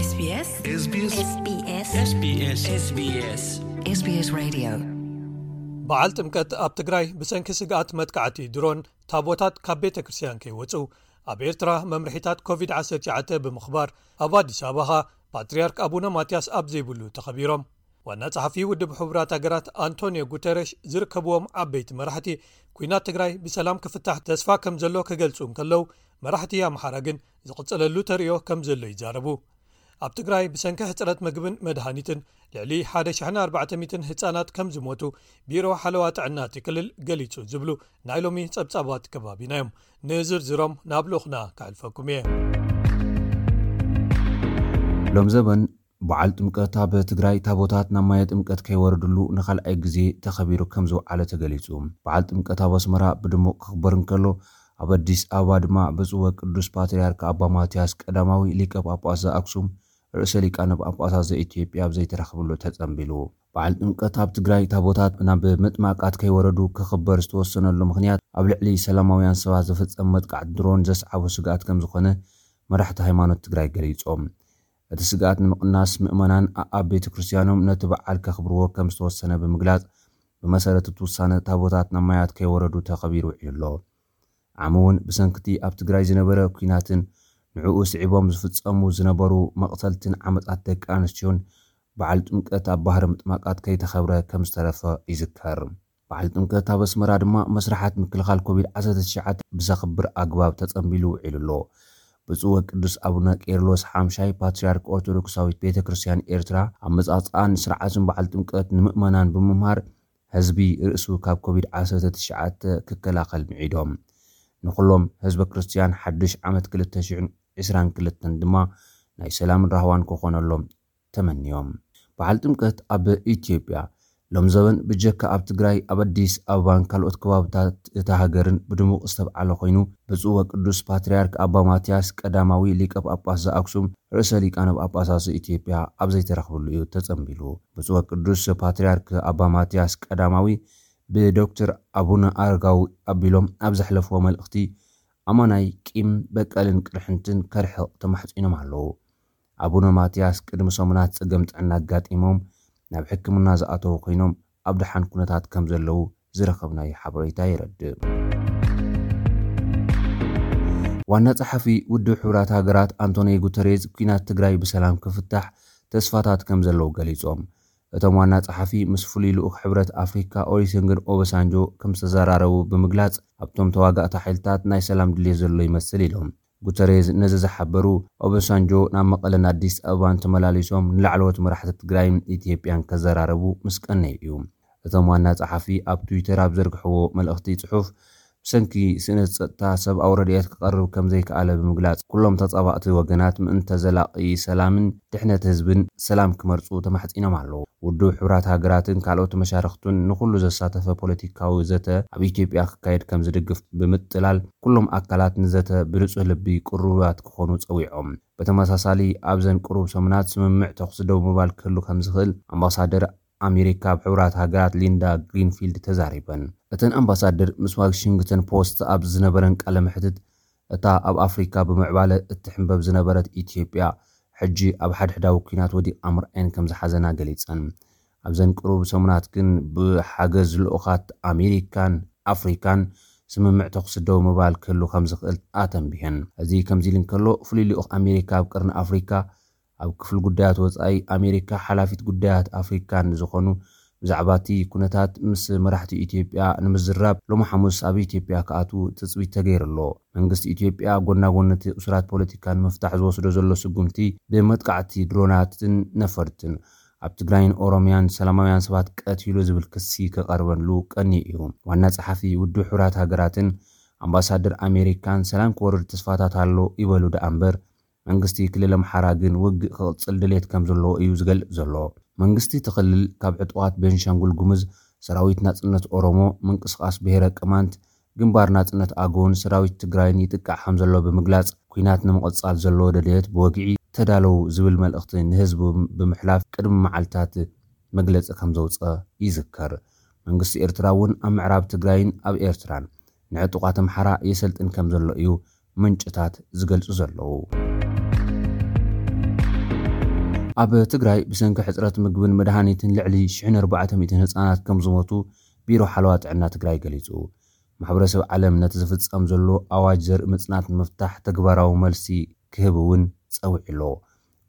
SBS SBS SBS SBS SBS SBS Radio። በዓል ጥምቀት ኣብ ትግራይ ብሰንኪ ስግኣት መጥቃዕቲ ድሮን ታቦታት ካብ ቤተ ክርስቲያን ከይወፁ ኣብ ኤርትራ መምርሒታት ኮቪድ ዓሰርተ ትሽዓተ ብምኽባር ኣብ ኣዲስ ኣበባ ፓትርያርክ ኣቡነ ማትያስ ኣብ ዘይብሉ ተኸቢሮም። ዋና ጸሓፊ ውድብ ሕቡራት ሃገራት ኣንቶኒዮ ጉተረሽ ዝርከብዎም ዓበይቲ መራሕቲ፣ ኲናት ትግራይ ብሰላም ክፍታሕ ተስፋ ከም ዘሎ ክገልጹ እንከለዉ፣ መራሕቲ ኣምሓራ ግን ዝቕጽለሉ ተርእዮ ከም ዘሎ ይዛረቡ። ኣብ ትግራይ ብሰንኪ ሕጽረት ምግብን መድሃኒትን ልዕሊ ሓደ ሽሕን ኣርባዕተ ሚእትን ህጻናት ከም ዝሞቱ ቢሮ ሓለዋ ጥዕና እቲ ክልል ገሊጹ ዝብሉ ናይ ሎሚ ጸብጻባት ከባቢና እዮም። ንዝርዝሮም ናብ ልኡኽና ከሕልፈኩም እየ። ሎም ዘበን በዓል ጥምቀት ኣብ ትግራይ ታቦታት ናብ ማየ ጥምቀት ከይወረድሉ ንኻልኣይ ግዜ ተኸቢሩ ከም ዝውዓለ ተገሊጹ። በዓል ጥምቀት ኣብ ኣስመራ ብድሙቕ ክኽበር እንከሎ፣ ኣብ ኣዲስ ኣበባ ድማ ብፁዕ ወቅዱስ ፓትርያርክ ኣባ ማትያስ ቀዳማዊ ሊቀ ጳጳስ ዘኣክሱም ርእሰ ሊቃነ ጳጳሳት ዘኢትዮጵያ ኣብ ዘይተረኽብሉ ተጸንቢሉ። በዓል ጥምቀት ኣብ ትግራይ ታቦታት ናብ ምጥማቃት ከይወረዱ ክኽበር ዝተወሰነሉ ምኽንያት ኣብ ልዕሊ ሰላማውያን ሰባት ዝፍጸም መጥቃዕቲ ድሮን ዘስዓቦ ስግኣት ከም ዝኾነ መራሕቲ ሃይማኖት ትግራይ ገሊጾም። እቲ ስግኣት ንምቕናስ ምእመናን ኣብ ቤተ ክርስቲያኖም ነቲ በዓል ከኽብርዎ ከም ዝተወሰነ ብምግላጽ፣ ብመሰረት እቲ ውሳነ ታቦታት ናብ ማያት ከይወረዱ ተኸቢሩ ውዒሉ ኣሎ። ዓሚ እውን ብሰንክቲ ኣብ ትግራይ ዝነበረ ኲናትን ንዕኡ ስዒቦም ዝፍጸሙ ዝነበሩ መቕተልትን ዓመጻት ደቂ ኣንስትዮን በዓል ጥምቀት ኣብ ባህሪ ምጥማቃት ከይተኸብረ ከም ዝተረፈ ይዝከር። በዓል ጥምቀት ኣብ ኣስመራ ድማ መስርሓት ምክልኻል ኮቪድ ዓሰርተ ትሽዓተ ብዘኽብር ኣግባብ ተጸንቢሉ ውዒሉ ኣሎ። ብፁዕ ወቅዱስ ኣቡነ ቄርሎስ ሓምሻይ ፓትርያርክ ኦርቶዶክሳዊት ቤተ ክርስቲያን ኤርትራ ኣመጻጽኣን ስርዓትን በዓል ጥምቀት ንምእመናን ብምምሃር ህዝቢ ርእሱ ካብ ኮቪድ ዓሰርተ ትሽዓተ ክከላኸል ምዒዶም። ንኹሎም ህዝበ ክርስቲያን ሓድሽ ዓመት ክልተ ሽሕን ዕስራን ክልተን ድማ ናይ ሰላምን ራህዋን ክኾነሎም ተመንዮም። በዓል ጥምቀት ኣብ ኢትዮጵያ ሎም ዘበን ብጀካ ኣብ ትግራይ ኣብ ኣዲስ ኣበባን ካልኦት ከባብታት እታ ሃገርን ብድሙቕ ዝተብዓለ ኮይኑ፣ ብፁዕ ወቅዱስ ፓትርያርክ ኣባ ማትያስ ቀዳማዊ ሊቀ ጳጳስ ዘኣክሱም ርእሰ ሊቃነ ጳጳሳት ዘኢትዮጵያ ኣብ ዘይተረኽብሉ እዩ ተጸንቢሉ። ብፁዕ ወቅዱስ ፓትርያርክ ኣባ ማትያስ ቀዳማዊ ብዶክተር ኣቡነ ኣረጋዊ ኣቢሎም ኣብ ዘሕለፍዎ መልእኽቲ፣ ኣማናይ ቂም በቀልን ቅርሕንትን ከርሕቕ ተማሕጺኖም ኣለዉ። ኣቡነ ማትያስ ቅድሚ ሰሙናት ጸገም ጥዕና ኣጋጢሞም ናብ ሕክምና ዝኣተዉ ኮይኖም፣ ኣብ ደሓን ኩነታት ከም ዘለዉ ዝረኸብናዮ ሓበሬታ የረድእ። ዋና ጸሓፊ ውድብ ሕቡራት ሃገራት ኣንቶኒዮ ጉተሬዝ፣ ኲናት ትግራይ ብሰላም ክፍታሕ ተስፋታት ከም ዘለዉ ገሊጾም። እቶም ዋና ጸሓፊ ምስ ፍሉይ ልኡኽ ሕብረት ኣፍሪካ ኦሉሴጉን ኦባሳንጆ ከም ዝተዘራረቡ ብምግላጽ፣ ኣብቶም ተዋጋእቲ ሓይልታት ናይ ሰላም ድሌት ዘሎ ይመስል ኢሎም። ጉተሬዝ ነዚ ዝሓበሩ፣ ኦባሳንጆ ናብ መቐለን ኣዲስ ኣበባን ተመላሊሶም ንላዕለዎት መራሕቲ ትግራይን ኢትዮጵያን ከዘራረቡ ምስ ቀነዩ እዩ። እቶም ዋና ጸሓፊ ኣብ ትዊተር ኣብ ዘርግሕዎ መልእኽቲ ጽሑፍ፣ ብሰንኪ ስእነት ጸጥታ ሰብኣዊ ረድኤት ክቐርብ ከም ዘይከኣለ ብምግላጽ፣ ኩሎም ተጻባእቲ ወገናት ምእንተ ዘላቒ ሰላምን ድሕነት ህዝብን ሰላም ክመርጹ ተማሕጺኖም ኣለዉ። ውድብ ሕቡራት ሃገራትን ካልኦት መሻርኽቱን ንኹሉ ዘሳተፈ ፖለቲካዊ ዘተ ኣብ ኢትዮጵያ ክካየድ ከም ዝድግፍ ብምጥላል፣ ኩሎም ኣካላት ንዘተ ብንጹህ ልቢ ቅሩባት ክኾኑ ጸዊዖም። ብተመሳሳሊ፣ ኣብዘን ቅሩብ ሰሙናት ስምምዕ ተኹሲ ደው ምባል ክህሉ ከም ዝኽእል ኣምባሳደር ኣሜሪካ ኣብ ሕቡራት ሃገራት ሊንዳ ግሪንፊልድ ተዛሪበን። እተን ኣምባሳደር ምስ ዋሽንግተን ፖስት ኣብ ዝነበረን ቃለ መሕትት፣ እታ ኣብ ኣፍሪካ ብምዕባለ እትሕንበብ ዝነበረት ኢትዮጵያ፣ ሕጂ ኣብ ሓድሕዳዊ ኲናት ወዲቓ ምርኣየን ከም ዝሓዘና ገሊጸን። ኣብዘን ቅሩብ ሰሙናት ግን ብሓገዝ ልኡኻት ኣሜሪካን ኣፍሪካን ስምምዕ ተኹሲ ደው ምባል ክህሉ ከም ዝኽእል ኣተንቢሀን። እዚ ከምዚ ኢሉ እንከሎ፣ ፍሉይ ልኡኽ ኣሜሪካ ኣብ ቀርኒ ኣፍሪካ ኣብ ክፍሊ ጉዳያት ወጻኢ ኣሜሪካ ሓላፊት ጉዳያት ኣፍሪካን ዝኾኑ ብዛዕባ እቲ ኩነታት ምስ መራሕቲ ኢትዮጵያ ንምዝራብ ሎሚ ሓሙስ ኣብ ኢትዮጵያ ክኣትዉ ትጽቢት ተገይሩ ኣሎ። መንግስቲ ኢትዮጵያ ጎና ጎኒ እቲ እሱራት ፖለቲካ ንምፍታሕ ዝወስዶ ዘሎ ስጉምቲ፣ ብመጥቃዕቲ ድሮናትን ነፈርትን ኣብ ትግራይን ኦሮሚያን ሰላማውያን ሰባት ቀቲሉ ዝብል ክሲ ክቐርበሉ ቀንዩ እዩ። ዋና ጸሓፊ ውድብ ሕቡራት ሃገራትን ኣምባሳደር ኣሜሪካን ሰላም ክወርድ ተስፋታት ኣሎ ይበሉ ደኣ እምበር፣ መንግስቲ ክልል ኣምሓራ ግን ውግእ ክቕጽል ድሌት ከም ዘለዎ እዩ ዝገልጽ ዘሎ። መንግስቲ እቲ ክልል ካብ ዕጡቓት ቤንሻንጉል ጉሙዝ፣ ሰራዊት ናጽነት ኦሮሞ፣ ምንቅስቓስ ብሄረ ቅማንት፣ ግንባር ናጽነት ኣገውን ሰራዊት ትግራይን ይጥቃዕ ከም ዘሎ ብምግላጽ፣ ኲናት ንምቕጻል ዘለዎ ደልየት ብወግዒ ተዳለዉ ዝብል መልእኽቲ ንህዝቡ ብምሕላፍ ቅድሚ መዓልታት መግለጺ ከም ዘውጸ ይዝከር። መንግስቲ ኤርትራ እውን ኣብ ምዕራብ ትግራይን ኣብ ኤርትራን ንዕጡቓት ኣምሓራ የሰልጥን ከም ዘሎ እዩ ምንጭታት ዝገልጹ ዘለዉ። ኣብ ትግራይ ብሰንኪ ሕፅረት ምግብን መድሃኒትን ልዕሊ ሽሕን ኣርባዕተ ሚእትን ህፃናት ከም ዝሞቱ ቢሮ ሓለዋ ጥዕና ትግራይ ገሊፁ። ማሕበረሰብ ዓለም ነቲ ዝፍፀም ዘሎ ኣዋጅ ዘርኢ ምፅናት ንምፍታሕ ተግባራዊ መልሲ ክህብ እውን ፀዊዑ ኣሎ።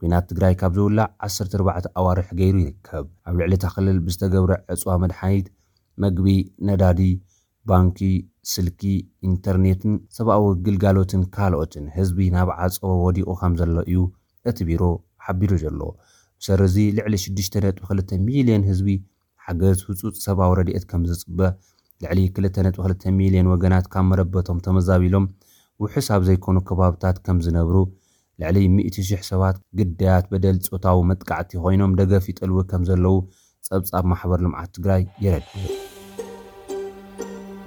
ኲናት ትግራይ ካብ ዝውላዕ ዓሰርተ ኣርባዕተ ኣዋርሕ ገይሩ ይርከብ። ኣብ ልዕሊ እታ ክልል ብዝተገብረ ዕፅዋ መድሓኒት፣ መግቢ፣ ነዳዲ፣ ባንኪ፣ ስልኪ፣ ኢንተርኔትን ሰብኣዊ ግልጋሎትን ካልኦትን ህዝቢ ናብ ዓፀቦ ወዲቑ ከም ዘሎ እዩ እቲ ቢሮ ሓቢሩ ዘሎ። ብሰሪ እዚ ልዕሊ ሽዱሽተ ነጥቢ ክልተ ሚልዮን ህዝቢ ሓገዝ ህፁፅ ሰብኣዊ ረድኤት ከም ዝፅበ፣ ልዕሊ ክልተ ነጥቢ ክልተ ሚልዮን ወገናት ካብ መረበቶም ተመዛቢሎም ውሑስ ኣብ ዘይኮኑ ከባብታት ከም ዝነብሩ፣ ልዕሊ ሚእቲ ሽሕ ሰባት ግዳያት በደል ፆታዊ መጥቃዕቲ ኮይኖም ደገፍ ይጠልቡ ከም ዘለዉ ፀብፃብ ማሕበር ልምዓት ትግራይ የረድእ።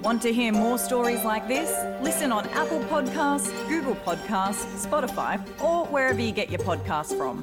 Want to hear more stories like this? Listen on Apple Podcasts, Google Podcasts, Spotify, or wherever you get your podcasts from.